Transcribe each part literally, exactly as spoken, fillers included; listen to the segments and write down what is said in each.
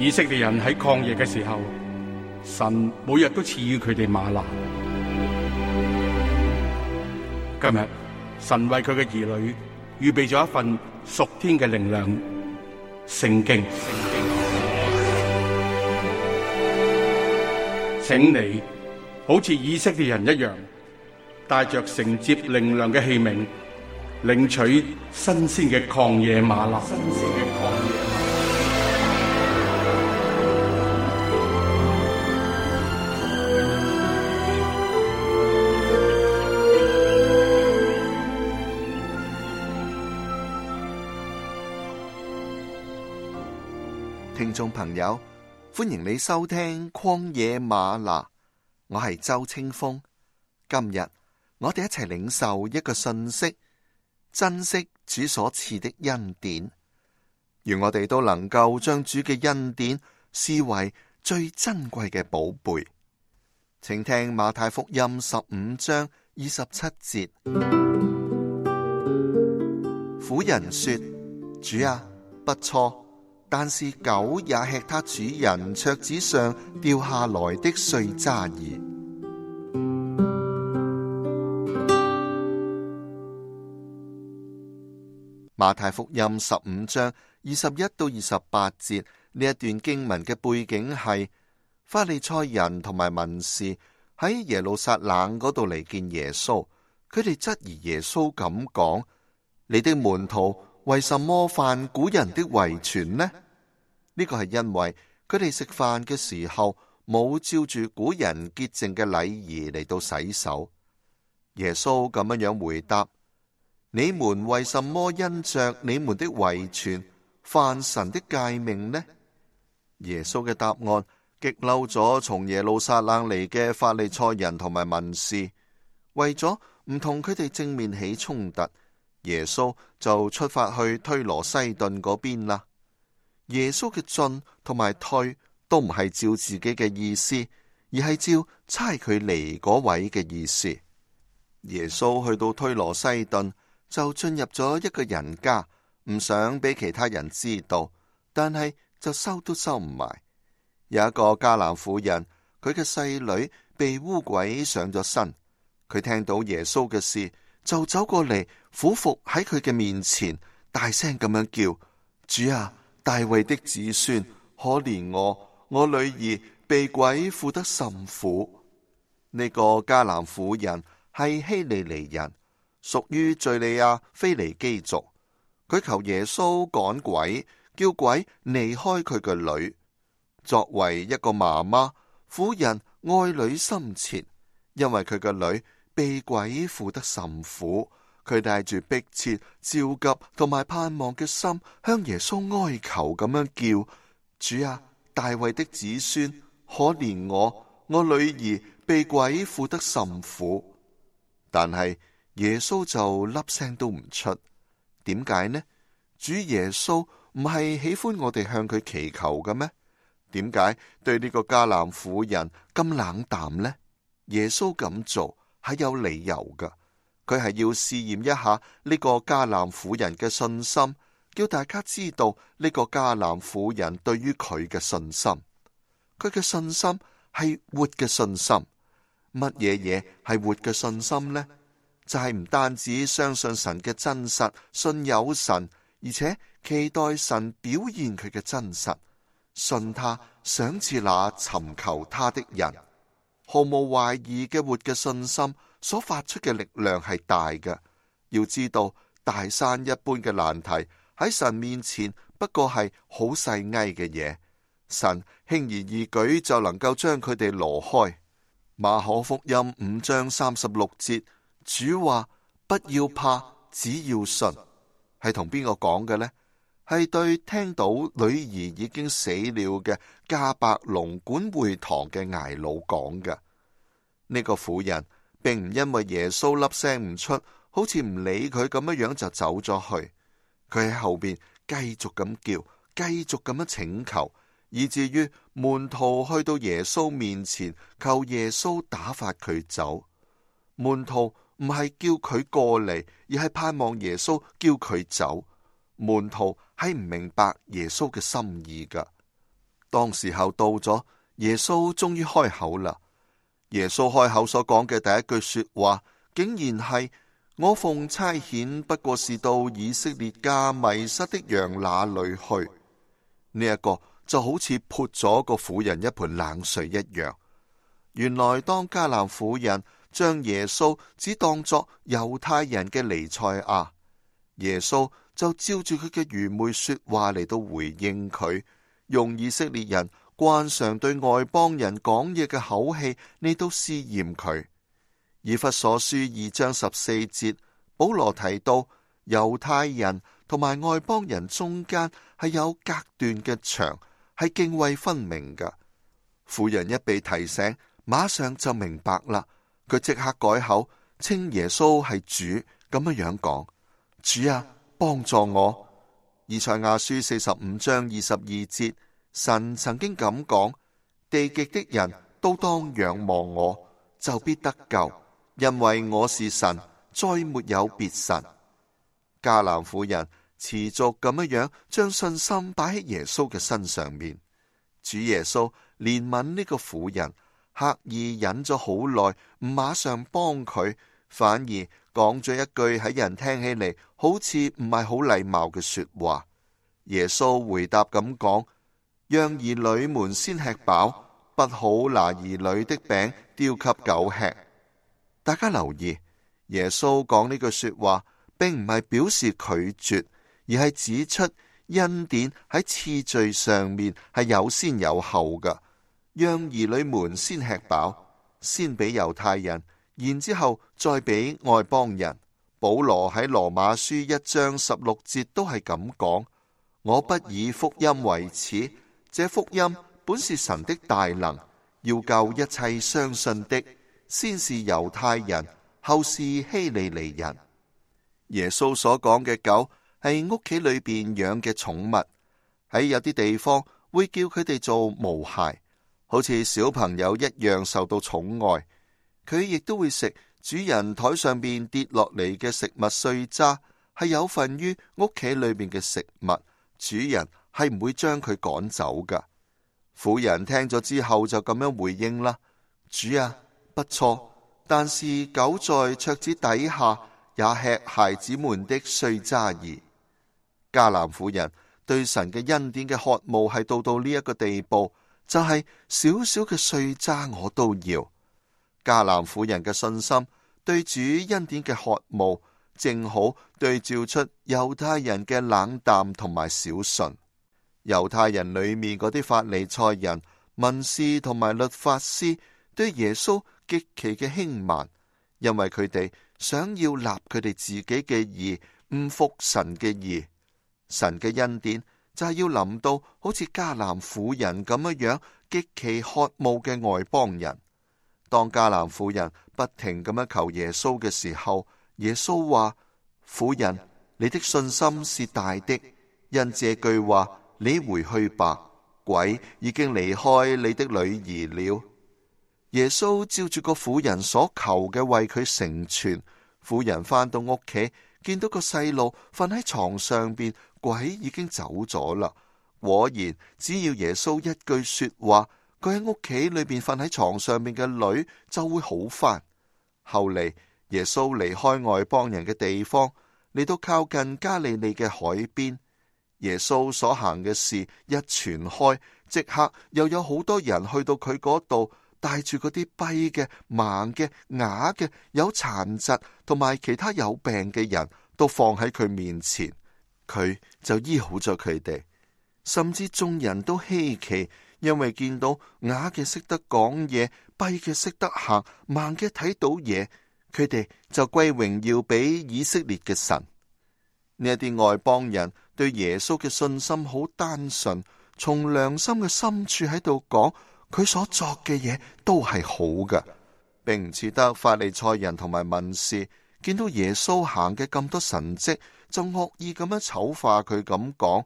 以色列人喺曠野嘅時候，神每日都賜予佢哋嗎哪。今日神為佢嘅兒女預備咗一份屬天嘅靈糧——聖經。請你好似以色列人一樣，帶着承接靈糧嘅器皿，領取新鮮嘅曠野嗎哪。新鮮嘅曠野嗎哪。聽眾朋友，歡迎你收聽曠野嗎哪，我係周清風。今日我哋一齊領受一個信息，珍惜主所賜的恩典。願我哋都能夠將主嘅恩典視為最珍貴嘅寶貝。請聽馬太福音十五章二十七節。婦人說：主啊，不錯，但是狗也吃他主人桌子上掉下來的碎渣兒。馬太福音十五章二十一到二十八節，呢一段經文嘅背景係法利賽人同埋文士喺耶路撒冷嗰度嚟見耶穌，佢哋質疑耶穌咁講：你的門徒為什麼犯古人的遺傳呢？呢個係因為佢哋食飯嘅時候冇照住古人潔淨嘅禮儀嚟到洗手。耶穌咁樣樣回答：你們為什麼因着你們的遺傳犯神的誡命呢？耶穌嘅答案激嬲咗從耶路撒冷嚟嘅法利賽人同埋文士，為咗唔同佢哋正面起衝突，耶穌就出發去推羅西頓嗰邊啦。耶穌嘅進同埋退都唔係照自己嘅意思，而係照差佢嚟嗰位嘅意思。耶穌去到推羅西頓，就進入咗一個人家，唔想俾其他人知道，但係就收都收唔埋。有一個迦南婦人，佢嘅細女被污鬼上咗身，佢聽到耶穌嘅事，就走過嚟俯伏喺佢嘅面前，大聲咁樣叫：主啊，大衛的子孫，可憐我，我女兒被鬼附得甚苦。呢、這個迦南婦人係希利尼人，屬於敘利亞腓尼基族。佢求耶穌趕鬼，叫鬼離開佢嘅女。作為一個媽媽，婦人愛女心切，因為佢嘅女被鬼附得甚苦。佢帶住迫切、焦急同埋盼望嘅心，向耶穌哀求咁樣叫：主啊，大衛的子孫，可憐我，我女兒被鬼附得甚苦。但係耶穌就粒聲都唔出。點解呢？主耶穌唔係喜歡我哋向佢祈求嘅咩？點解對呢個迦南婦人咁冷淡呢？耶穌咁做係有理由噶。佢係要試驗一下呢個迦南婦人嘅信心，叫大家知道呢個迦南婦人對於佢嘅信心。佢嘅信心係活嘅信心。乜嘢嘢係活嘅信心呢？就係唔單止相信神嘅真實，信有神，而且期待神表現佢嘅真實，信他，賞賜那尋求他的人。毫無懷疑嘅活嘅信心所發出嘅力量係大嘅。要知道，大山一般嘅難題喺神面前不過係好細埃嘅嘢，神輕而易舉就能夠將佢哋挪開。馬可福音五章三十六節，主話：不要怕，只要信。係同邊個講嘅呢？係對聽到女兒已經死了嘅迦百農管會堂嘅睚魯講嘅。呢個婦人並唔因為耶穌粒聲唔出，好似唔理佢咁樣樣就走咗去。佢喺後邊繼續咁叫，繼續咁樣請求，以至於門徒去到耶穌面前，求耶穌打發佢走。門徒唔係叫佢過嚟，而係盼望耶穌叫佢走。門徒係唔明白耶穌嘅心意噶。當時候到咗，耶穌終於開口啦。耶穌開口所講嘅第一句說話，竟然係：我奉差遣，不過是到以色列家迷失的羊那裏去。呢一個就好似潑咗個婦人一盆冷水一樣。原來當迦南婦人將耶穌只當作猶太人嘅彌賽亞，耶穌就照住佢嘅愚昧說話嚟到回應佢，用以色列人慣常對外邦人講嘢嘅口氣嚟到試驗佢。以弗所書二章十四節，保羅提到猶太人同埋外邦人中間係有隔斷嘅牆，係涇渭分明嘅。婦人一被提醒，馬上就明白啦。佢即刻改口，稱耶穌係主，咁樣樣講：主啊，幫助我。以賽亞書四十五章二十二節，神曾經咁講：地極的人都當仰望我，就必得救，因為我是神，再沒有別神。迦南婦人持續咁樣樣將信心擺喺耶穌嘅身上面。主耶穌憐憫呢個婦人，刻意忍咗好耐，唔馬上幫佢，反而講咗一句喺人聽起嚟好似唔係好禮貌嘅說話。耶穌回答咁講：讓兒女們先吃飽，不好拿兒女的餅丟給狗吃。大家留意，耶穌講呢句說話，並唔係表示拒絕，而係指出恩典喺次序上面係有先有後㗎。讓兒女們先吃飽，先俾猶太人，然之後再俾外邦人。保羅喺羅馬書一章十六節都係咁講：我不以福音為恥，這福音本是神的大能，要救一切相信的，先是猶太人，後是希利尼人。耶穌所講嘅狗係屋企裏邊養嘅寵物，喺有啲地方會叫佢哋做毛孩，好似小朋友一樣受到寵愛。佢亦都會食主人台上邊跌落嚟嘅食物碎渣，係有份於屋企裏邊嘅食物，主人係唔會將佢趕走噶。婦人聽咗之後就咁樣回應啦：主啊，不錯，但是狗在桌子底下也吃孩子們的碎渣兒。迦南婦人對神嘅恩典嘅渴慕係到到呢一個地步，就係少少嘅碎渣我都要。迦南婦人嘅信心對主恩典嘅渴慕，正好對照出猶太人嘅冷淡同埋小信。猶太人裏面嗰啲法利賽人、文士同埋律法師對耶穌極其嘅輕慢，因為佢哋想要立佢哋自己嘅義，唔服神嘅義。神嘅恩典就係要臨到好似迦南婦人咁樣樣極其渴慕嘅外邦人。當迦南婦人不停咁樣求耶穌嘅時候，耶穌話：婦人，你的信心是大的，因這句話你回去吧，鬼已經離開你的女兒了。耶穌照住個婦人所求嘅為佢成全。婦人返到屋企，見到個細路瞓喺床上邊，鬼已經走咗啦。果然，只要耶穌一句說話，佢喺屋企裏邊瞓喺床上面嘅女就會好返。後嚟耶穌離開外邦人嘅地方，嚟到靠近加利利嘅海邊。耶穌所行嘅事一傳開，即刻又有好多人去到佢嗰度，帶住嗰啲跛嘅、盲嘅、啞嘅、有殘疾同埋其他有病嘅人都放喺佢面前，佢就醫好咗佢哋。甚至眾人都稀奇，因為見到啞嘅識得講嘢，跛嘅識得行，盲嘅睇到嘢，佢哋就歸榮耀俾以色列嘅神。呢一啲外邦人對耶穌嘅信心好單純，從良心嘅深處喺度講，佢所作嘅嘢都係好嘅，並唔似得法利賽人同埋文士見到耶穌行嘅咁多神蹟，就惡意咁樣醜化佢，咁講，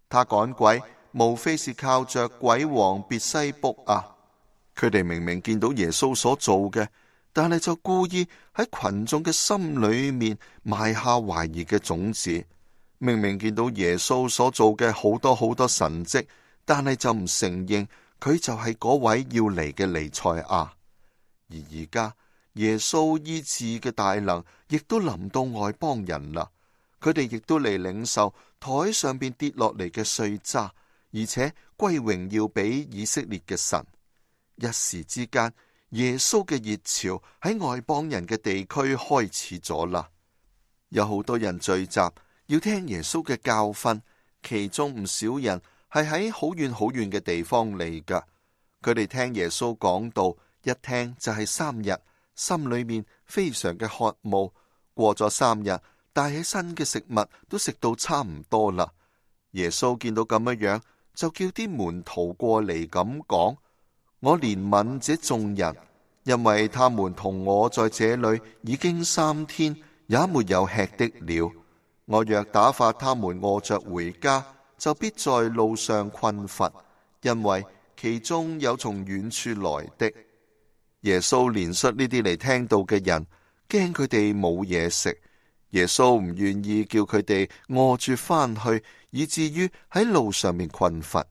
他趕鬼無非是靠着鬼王別西卜啊！佢哋明明見到耶穌所做嘅，但係就故意喺群眾嘅心裏面埋下懷疑嘅種子。明明見到耶穌所做嘅好多好多神蹟，但係就唔承認佢就係嗰位要嚟嘅彌賽亞。而而家耶穌醫治嘅大能亦都臨到外邦人啦，佢哋亦都嚟領受台上邊跌落嚟嘅碎渣，而且歸榮耀俾以色列嘅神。一時之間，耶穌嘅熱潮喺外邦人嘅地區開始咗啦。有好多人聚集要聽耶穌嘅教訓，其中唔少人係喺好遠好遠嘅地方嚟噶。佢哋聽耶穌講道，一聽就係三日，心裏面非常嘅渴慕。過咗三日，帶起身嘅食物都食到差唔多啦。耶穌見到咁樣樣，就叫啲門徒過嚟咁講：我憐憫這眾人，因為他們同我在這裏已經三天，也沒有吃的了。我若打發他們餓着回家，就必在路上困乏，因為其中有從遠處來的。耶穌憐恤呢啲嚟聽到嘅人，驚佢哋冇嘢食。耶穌唔願意叫佢哋餓住返去，以至於喺路上面困乏。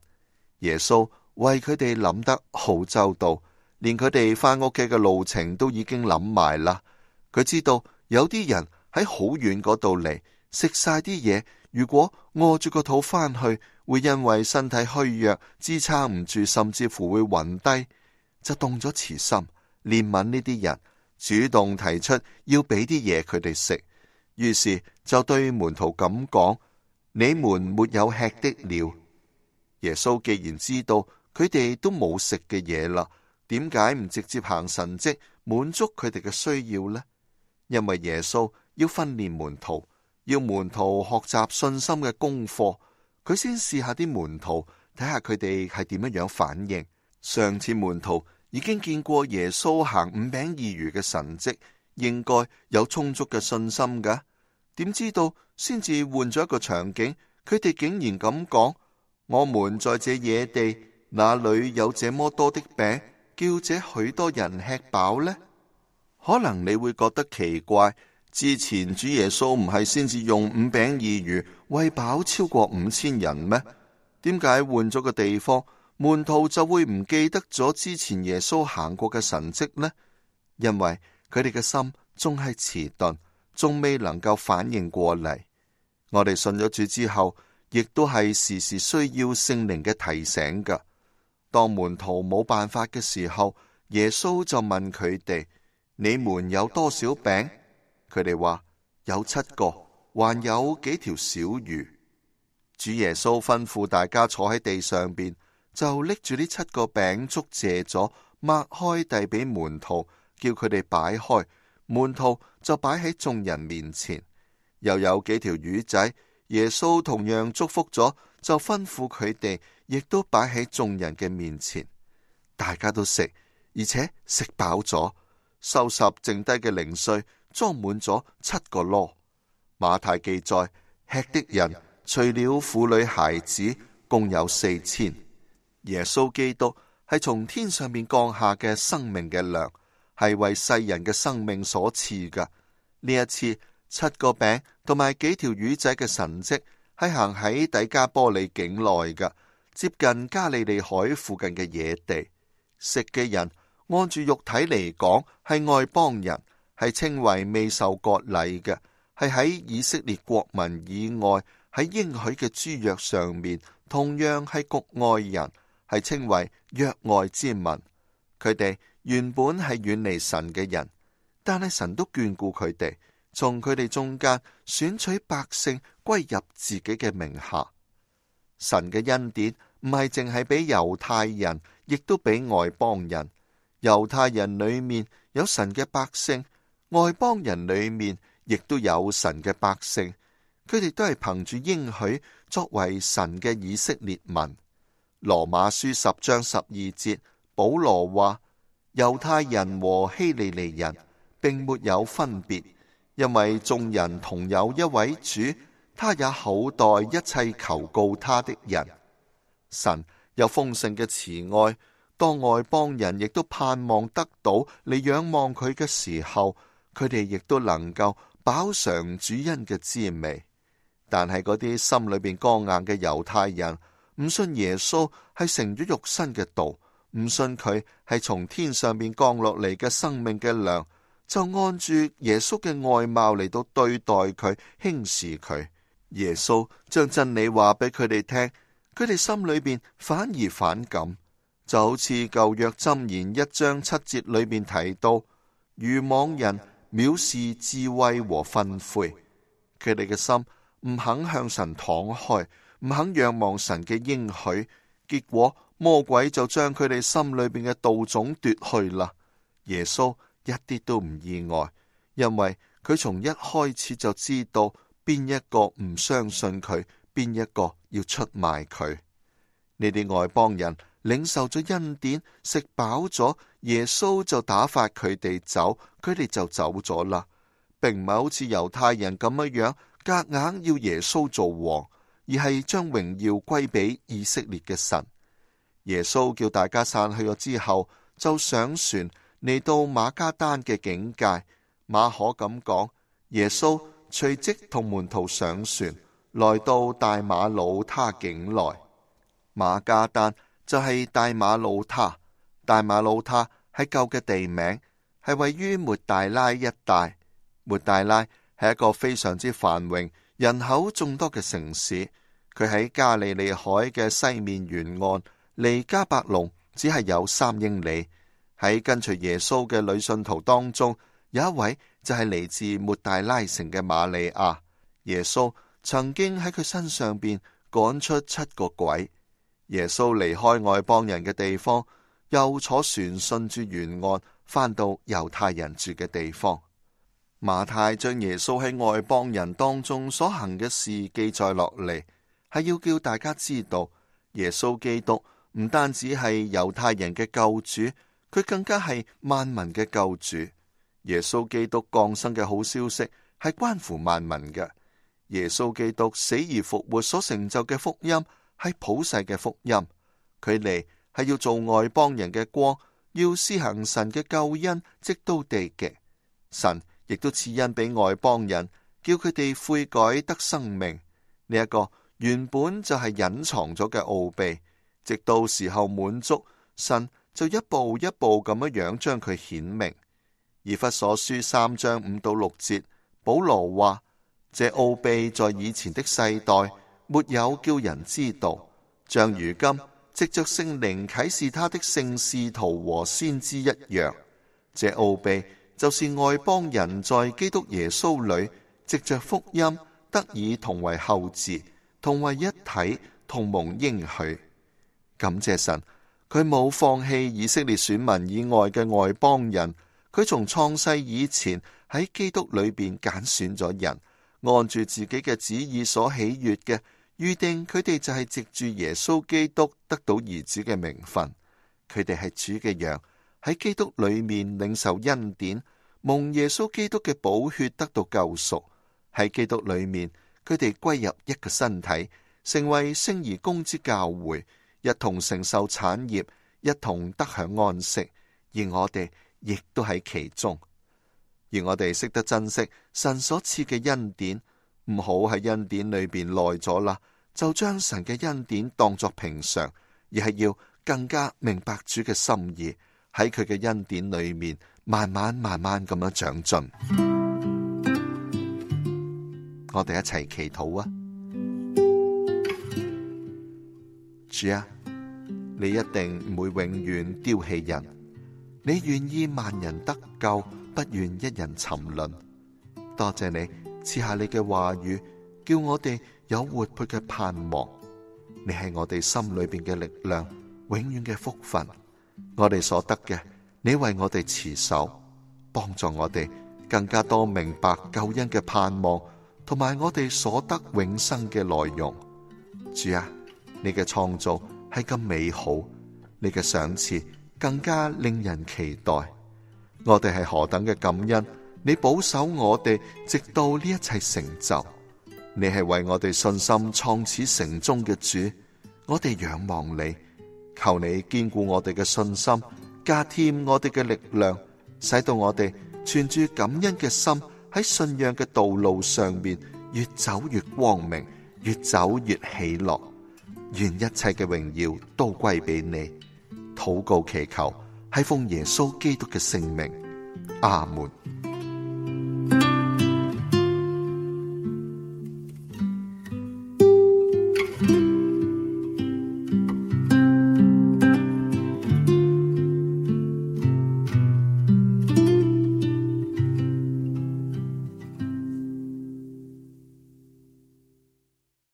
耶穌為佢哋諗得好周到，連佢哋返屋企嘅路程都已經諗埋啦。佢知道有啲人喺好遠嗰度嚟，食晒啲嘢，如果餓住個肚返去，會因為身體虛弱支撐唔住，甚至乎會暈低，就動咗慈心，憐憫呢啲人，主動提出要俾啲嘢佢哋食。於是就對門徒咁講：你們沒有吃的了。耶穌既然知道佢哋都冇食嘅嘢啦，點解唔直接行神蹟滿足佢哋嘅需要呢？因為耶穌要訓練門徒，要門徒學習信心嘅功課，佢先試下啲門徒，睇下佢哋係點樣樣反應。上次門徒已經見過耶穌行五餅二魚嘅神蹟，應該有充足嘅信心噶。點知道先至換咗一個場景，佢哋竟然咁講：我們在這野地，哪裏有這麼多的餅，叫這許多人吃飽呢？可能你會覺得奇怪，之前主耶穌唔係先至用五餅二魚餵飽超過五千人咩？點解換咗個地方，門徒就會唔記得咗之前耶穌行過嘅神蹟呢？因為佢哋嘅心仲係遲鈍，仲未能夠反應過嚟。我哋信咗主之後，亦都係時時需要聖靈嘅提醒噶。當門徒冇辦法嘅時候，耶穌就問佢哋：你們有多少餅？佢哋話有七個，還有幾條小魚。主耶穌吩咐大家坐喺地上邊，就拎住呢七個餅，祝謝咗，擘開遞俾門徒，叫佢哋擺開。門徒就擺喺眾人面前。又有幾條魚仔，耶穌同樣祝福咗，就吩咐佢哋亦都擺喺眾人嘅面前。大家都食，而且食飽咗，收拾剩低嘅零碎，裝滿咗七個籮。馬太記載，吃的人除了婦女孩子，共有四千。耶穌基督係從天上面降下嘅生命嘅糧，係為世人嘅生命所賜噶。呢一次七個餅同埋幾條魚仔嘅神蹟，係行喺底加波利境內噶，接近加利利海附近嘅野地。食嘅人按住肉體嚟講係外邦人，係稱為未受割禮嘅，係喺以色列國民以外，喺應許嘅諸約上面同樣係局外人，係稱為約外之民。佢哋原本係遠離神嘅人，但係神都眷顧佢哋，從佢哋中間選取百姓歸入自己嘅名下。神嘅恩典唔係淨係俾猶太人，亦都俾外邦人。猶太人裏面有神嘅百姓，外邦人裏面亦都有神嘅百姓。佢哋都係憑住應許作為神嘅以色列民。羅馬書十章十二節，保羅話：猶太人和希利尼人並沒有分別，因為眾人同有一位主，他也厚待一切求告他的人。神有豐盛嘅慈愛，當外邦人亦都盼望得到嚟仰望佢嘅時候，佢哋亦都能夠飽嘗主恩嘅滋味。但係嗰啲心裏邊剛硬嘅猶太人，唔信耶穌係成咗肉身嘅道，唔信佢係從天上邊降落嚟嘅生命嘅糧，就按住耶穌嘅外貌嚟到對待佢，輕視佢。耶穌將真理話俾佢哋聽，佢哋心裏邊反而反感，就好似舊約箴言一章七節裏邊提到，愚妄人藐視智慧和訓誨，佢哋嘅心唔肯向神敞開，唔肯仰望神嘅應許，結果魔鬼就將佢哋心裏邊嘅道種奪去啦。耶穌一啲都唔意外，因為佢從一開始就知道邊一個唔相信佢，邊一個要出賣佢。呢啲外邦人領受咗恩典，食飽咗，耶穌就打發佢哋走，佢哋就走咗啦，並唔係好似猶太人咁樣樣夾硬要耶穌做王，而係將榮耀歸俾以色列嘅神。耶穌叫大家散去咗之後，就上船嚟到馬加丹嘅境界。馬可咁講，耶穌隨即同門徒上船，來到大馬魯他境內。馬加丹就係大馬魯他，大馬魯他係舊嘅地名，係位於抹大拉一帶。抹大拉係一個非常之繁榮、人口眾多嘅城市，佢喺加利利海嘅西面沿岸，離迦百農只係有三英里。喺跟隨耶穌嘅女信徒當中，有一位就係嚟自抹大拉城嘅瑪利亞。耶穌曾經喺佢身上邊趕出七個鬼。耶穌離開外邦人嘅地方，又坐船順住沿岸返到猶太人住嘅地方。馬太將耶穌喺外邦人當中所行嘅事記載落嚟，係要叫大家知道耶穌基督唔單止係猶太人嘅救主，佢更加係萬民嘅救主。耶穌基督降生嘅好消息係關乎萬民嘅。耶穌基督死而復活所成就嘅福音係普世嘅福音，佢嚟係要做外邦人嘅光，要施行神嘅救恩，直到地極。神亦都賜恩俾外邦人，叫佢哋悔改得生命。呢一個原本就係隱藏咗嘅奧秘，直到時候滿足，神就一步一步咁樣樣將佢顯明。以弗所書三章五到六節，保羅話：這奧秘在以前的世代沒有叫人知道，像如今藉着聖靈啟示他的聖使徒和先知一樣。這奧秘就是外邦人在基督耶穌裏藉着福音得以同為後嗣，同為一體，同蒙應許。感謝神，佢冇放棄以色列選民以外嘅外邦人，佢從創世以前喺基督裏邊揀選咗人，按住自己嘅旨意所喜悅嘅，預定佢哋就係藉住耶穌基督得到兒子嘅名分。佢哋係主嘅羊，喺基督裏面領受恩典，蒙耶穌基督嘅寶血得到救贖。喺基督裏面，佢哋歸入一個身體，成為聖而公之教會，一同承受產業，一同得享安息。而我哋亦都喺其中。而我哋識得珍惜神所賜嘅恩典，唔好喺恩典裏邊耐咗啦，就將神嘅恩典當作平常，而係要更加明白主嘅心意，喺佢嘅恩典裏面慢慢慢慢咁樣長進。我哋一齊祈禱啊！主啊，你一定唔會永遠丟棄人，你願意萬人得救，不願一人沉淪。多謝你賜下你嘅話語，叫我哋有活潑嘅盼望。你係我哋心裏邊嘅力量，永遠嘅福分。我哋所得嘅，你為我哋持守，幫助我哋更加多明白救恩嘅盼望，同埋我哋所得永生嘅內容。主啊，你嘅創造係咁美好，你嘅賞賜更加令人期待。我哋係何等嘅感恩，你保守我哋直到呢一切成就。你係為我哋信心創始成終嘅主，我哋仰望你，求你堅固我哋嘅信心，加添我哋嘅力量，使到我哋存住感恩嘅心，喺信仰嘅道路上面越走越光明，越走越喜樂。願一切嘅榮耀都歸俾你。禱告祈求係奉耶穌基督嘅聖名，阿門。